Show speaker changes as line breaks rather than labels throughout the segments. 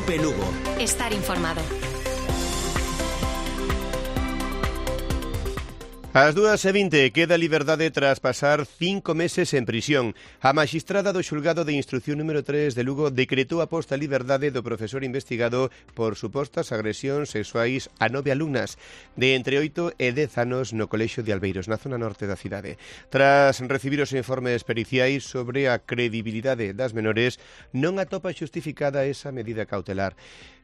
Cope Lugo.
Estar informado.
Ás 2:20 queda liberdade tras pasar 5 meses en prisión. A magistrada do xulgado de instrucción número 3 de Lugo decretou a posta a liberdade do profesor investigado por supostas agresións sexuais a 9 alumnas de entre 8 e 10 anos no colexio de Albeiros, na zona norte da cidade. Tras recibir os informes periciais sobre a credibilidade das menores, non atopa xustificada esa medida cautelar.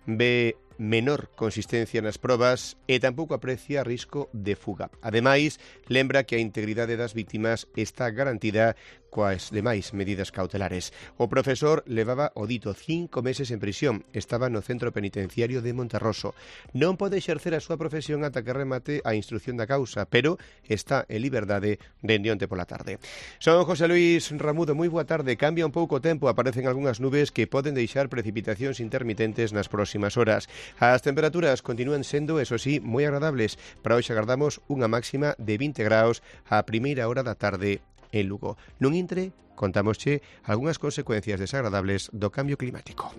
Ve menor consistencia nas probas e tampouco aprecia risco de fuga. Ademais, lembra que a integridade das vítimas está garantida coas demais medidas cautelares. O profesor levaba o dito 5 meses en prisión, estaba no centro penitenciario de Monterroso. Non pode exercer a súa profesión ata que remate a instrucción da causa, pero está en liberdade dende onte pola tarde. Son José Luis Ramudo, moi boa tarde. Cambia un pouco o tempo, aparecen algunhas nubes que poden deixar precipitacións intermitentes nas próximas horas. As temperaturas continúan sendo, eso sí, moi agradables. Para hoxe agardamos unha máxima de 20 graus á primeira hora da tarde en Lugo. Nun intre, contámosche algunhas consecuencias desagradables do cambio climático.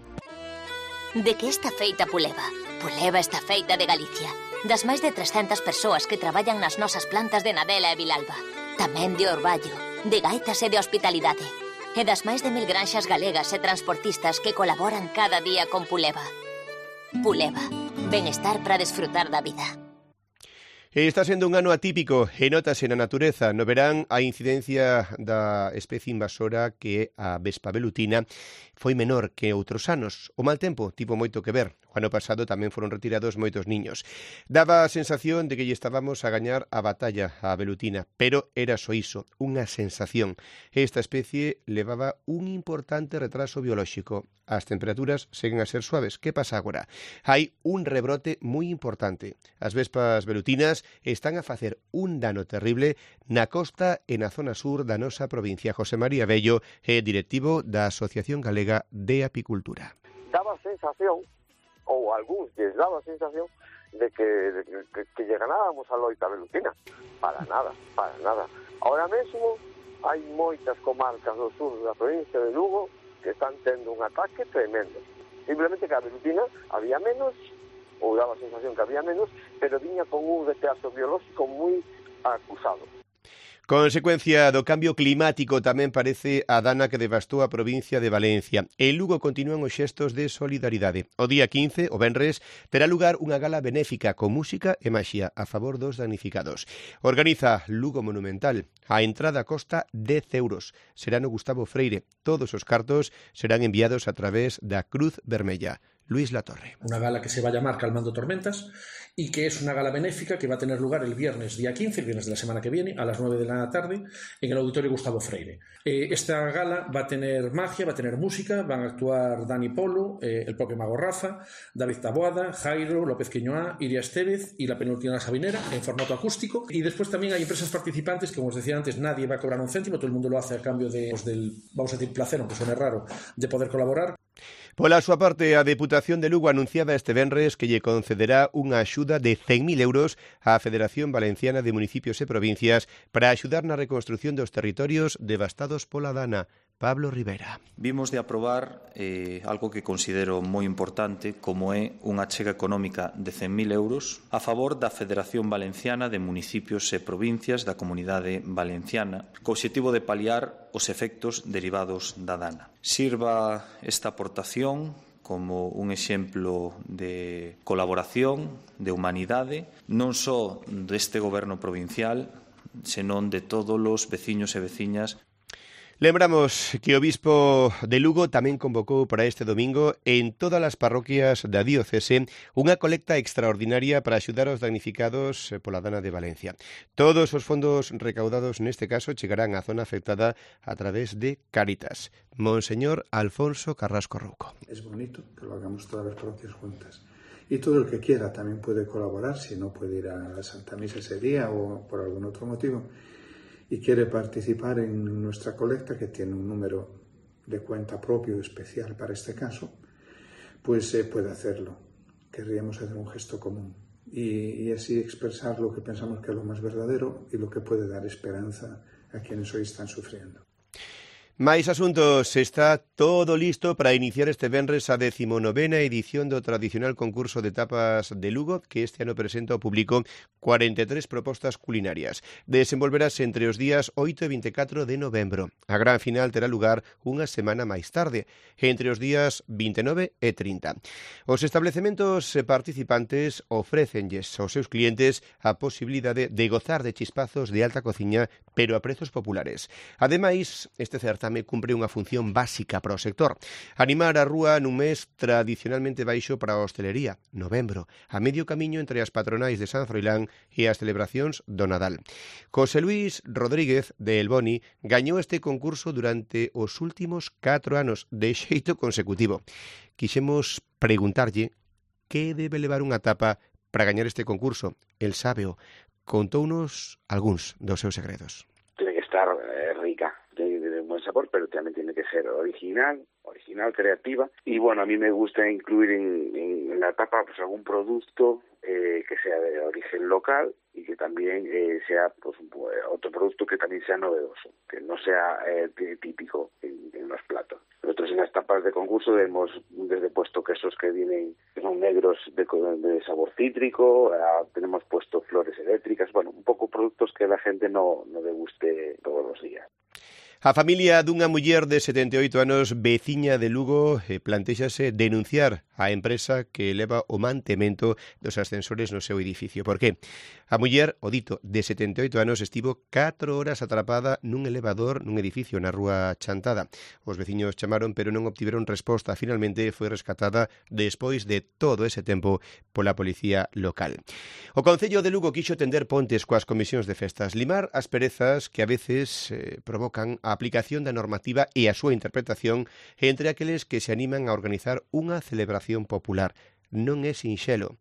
De que está feita Puleva? Puleva está feita de Galicia. Das máis de 300 persoas que traballan nas nosas plantas de Nadela e Vilalba. Tamén de Orballo, de Gaitas e de Hospitalidade. E das máis de 1000 granxas galegas e transportistas que colaboran cada día con Puleva. Puleva, benestar para desfrutar da vida.
Está sendo un ano atípico e notase na natureza. No verán, a incidencia da especie invasora que é a vespa velutina foi menor que outros anos. O mal tempo tivo moito que ver. O ano pasado tamén foron retirados moitos niños. Daba a sensación de que lle estábamos a gañar a batalla á velutina, pero era só iso, unha sensación. Esta especie levaba un importante retraso biolóxico. As temperaturas seguen a ser suaves. Que pasa agora? Hai un rebrote moi importante. As vespas velutinas están a facer un dano terrible na costa e na zona sur da nosa provincia. José María Bello é directivo da Asociación Galega de Apicultura.
Daba a sensación, ou a algúns lles daba a sensación, de que lle ganábamos a loita velutina. Para nada, para nada. Ahora mesmo hai moitas comarcas do sur da provincia de Lugo que están tendo un ataque tremendo. Simplemente que a velutina había menos, ou daba a sensación que había menos, pero viña con un retraso biolóxico moi acusado.
Consecuencia do cambio climático tamén parece a dana que devastou a provincia de Valencia. En Lugo continúan os xestos de solidaridade. O día 15, o venres, terá lugar unha gala benéfica con música e maxia a favor dos damnificados. Organiza Lugo Monumental. A entrada costa 10 euros. Será no Gustavo Freire. Todos os cartos serán enviados a través da Cruz Vermella. Luis Latorre.
Una gala que se va a llamar Calmando Tormentas y que es una gala benéfica que va a tener lugar el viernes día 15, el viernes de la semana que viene, a las 9 de la tarde, en el Auditorio Gustavo Freire. Esta gala va a tener magia, va a tener música, van a actuar Dani Polo, el propio Mago Rafa, David Taboada, Jairo, López Quiñoá, Iria Estevez y la penúltima Sabinera en formato acústico. Y después también hay empresas participantes que, como os decía antes, nadie va a cobrar un céntimo, todo el mundo lo hace a cambio de, del, vamos a decir, placer, aunque suene raro, de poder colaborar.
Pola súa parte, a Deputación de Lugo anunciaba este venres que lle concederá unha axuda de 100.000 euros á Federación Valenciana de Municipios e Provincias para axudar na reconstrucción dos territorios devastados pola dana. Pablo Rivera.
Vimos de aprobar algo que considero moi importante, como é unha achega económica de 100.000 euros a favor da Federación Valenciana de Municipios e Provincias da Comunidade Valenciana, co obxectivo de paliar os efectos derivados da dana. Sirva esta aportación como un exemplo de colaboración, de humanidade, non só deste goberno provincial, senón de todos os veciños e veciñas.
Lembramos que o Bispo de Lugo tamén convocou para este domingo en todas as parroquias da diocese unha colecta extraordinaria para axudar aos damnificados pola dana de Valencia. Todos os fondos recaudados neste caso chegarán á zona afectada a través de Cáritas. Monseñor Alfonso Carrasco Rouco.
Es bonito que lo hagamos todas las parroquias juntas. Y todo el que quiera también puede colaborar, si no puede ir a la Santa Misa ese día o por algún otro motivo, y quiere participar en nuestra colecta, que tiene un número de cuenta propio especial para este caso, pues puede hacerlo. Querríamos hacer un gesto común y así expresar lo que pensamos que es lo más verdadero y lo que puede dar esperanza a quienes hoy están sufriendo.
Máis asuntos, está todo listo para iniciar este venres a 19ª edición do tradicional concurso de tapas de Lugo, que este ano presenta ao público 43 propostas culinarias. Desenvolverase entre os días 8 e 24 de novembro. A gran final terá lugar unha semana máis tarde, entre os días 29 e 30. Os establecementos participantes ofrécenlles aos seus clientes a posibilidade de gozar de chispazos de alta cociña, pero a prezos populares. Ademais, este certame cumpre unha función básica para o sector. Animar a rúa nun mes tradicionalmente baixo para a hostelería, novembro, a medio camiño entre as patronais de San Froilán e as celebracións do Nadal. José Luis Rodríguez, de El Boni, gañou este concurso durante os últimos 4 anos de xeito consecutivo. Quixemos preguntarlle que debe levar unha tapa para gañar este concurso. El sábeo. Contounos algúns dos seus segredos.
Tiene que estar rica, tiene que tener un buen sabor, pero también tiene que ser original, creativa. Y bueno, a mí me gusta incluir en la tapa pues algún producto que sea de origen local y que también sea pues otro producto que también sea novedoso, que no sea típico en los platos. Nosotros en las tapas de concurso hemos desde puesto quesos que son negros de sabor cítrico, tenemos puesto flores eléctricas, bueno, un poco productos que la gente no deguste todos los días.
A familia dunha muller de 78 anos veciña de Lugo plantéxase denunciar a empresa que leva o mantemento dos ascensores no seu edificio. Por qué? A muller, o dito, de 78 anos estivo 4 horas atrapada nun elevador nun edificio na rúa Chantada. Os veciños chamaron pero non obtiveron resposta. Finalmente foi rescatada despois de todo ese tempo pola policía local. O Concello de Lugo quixo tender pontes coas comisións de festas, limar as perezas que a veces provocan a aplicación da normativa e a súa interpretación entre aqueles que se animan a organizar unha celebración popular. Non é sinxelo.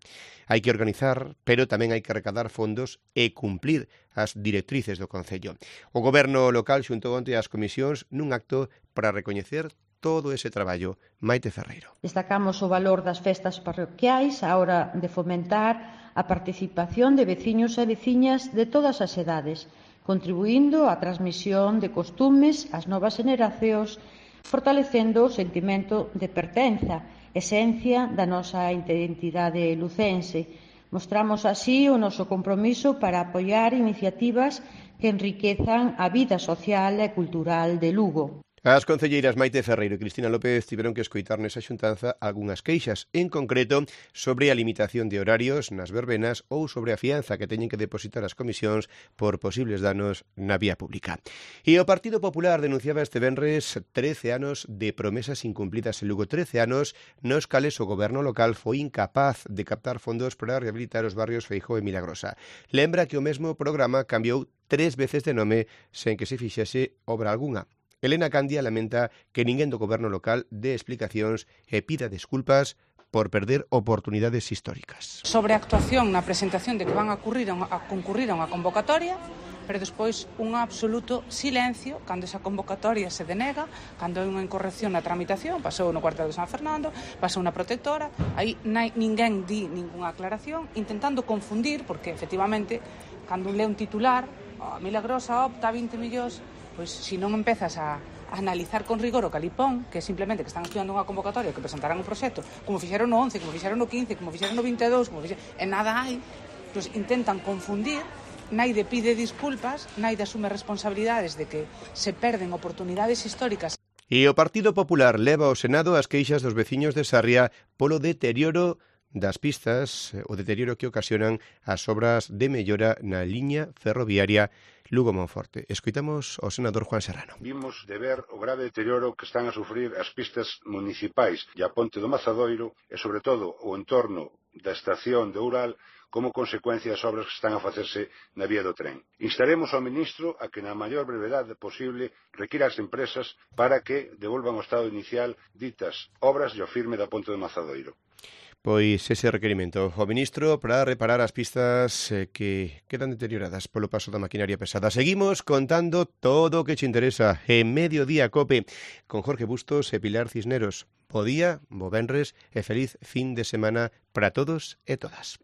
Hai que organizar, pero tamén hai que recadar fondos e cumplir as directrices do Concello. O Goberno local xuntou onte as comisións nun acto para recoñecer todo ese traballo. Maite Ferreiro.
Destacamos o valor das festas parroquiais á hora de fomentar a participación de veciños e veciñas de todas as edades, contribuindo á transmisión de costumes ás novas generacións, fortalecendo o sentimento de pertenza, esencia da nosa identidade lucense. Mostramos así o noso compromiso para apoiar iniciativas que enriquezan a vida social e cultural de Lugo.
As concelleiras Maite Ferreiro e Cristina López tiveron que escoitar nesa xuntanza algunhas queixas, en concreto sobre a limitación de horarios nas verbenas ou sobre a fianza que teñen que depositar as comisións por posibles danos na vía pública. E o Partido Popular denunciaba este venres 13 anos de promesas incumplidas en Lugo, 13 anos nos cales o goberno local foi incapaz de captar fondos para rehabilitar os barrios Feijóo e Milagrosa. Lembra que o mesmo programa cambiou 3 veces de nome sen que se fixese obra algunha. Elena Candia lamenta que ninguén do goberno local dé explicacións e pida desculpas por perder oportunidades históricas.
Sobre a actuación na presentación de que van a concurrir a unha convocatoria, pero despois un absoluto silencio cando esa convocatoria se denega, cando hai unha incorrección na tramitación, pasou no cuartel de San Fernando, pasou na protectora, aí ninguén di ningunha aclaración, intentando confundir, porque efectivamente, cando un lê un titular, a Milagrosa opta a 20 millóns, pois se non empezas a analizar con rigor o calipón, que é simplemente que están estudiando unha convocatoria, que presentarán un proxecto, como fixeron no 11, como fixeron no 15, como fixeron no 22, e nada hai, pois intentan confundir, naide pide disculpas, naide asume responsabilidades de que se perden oportunidades históricas.
E o Partido Popular leva ao Senado as queixas dos veciños de Sarria polo deterioro das pistas, o deterioro que ocasionan as obras de mellora na liña ferroviaria Lugo-Monforte. Escoitamos ao senador Juan Serrano.
Vimos de ver o grave deterioro que están a sufrir as pistas municipais e a ponte do Mazadoiro e, sobre todo, o entorno da estación de Oural como consecuencia das obras que están a facerse na vía do tren. Instaremos ao ministro a que na maior brevedade posible requira as empresas para que devolvan ao estado inicial ditas obras e o firme da ponte do Mazadoiro.
Pois ese requerimento ao ministro para reparar as pistas que quedan deterioradas polo paso da maquinaria pesada. Seguimos contando todo o que che interesa en Mediodía Cope con Jorge Bustos e Pilar Cisneros. Bo día, bo venres e feliz fin de semana para todos e todas.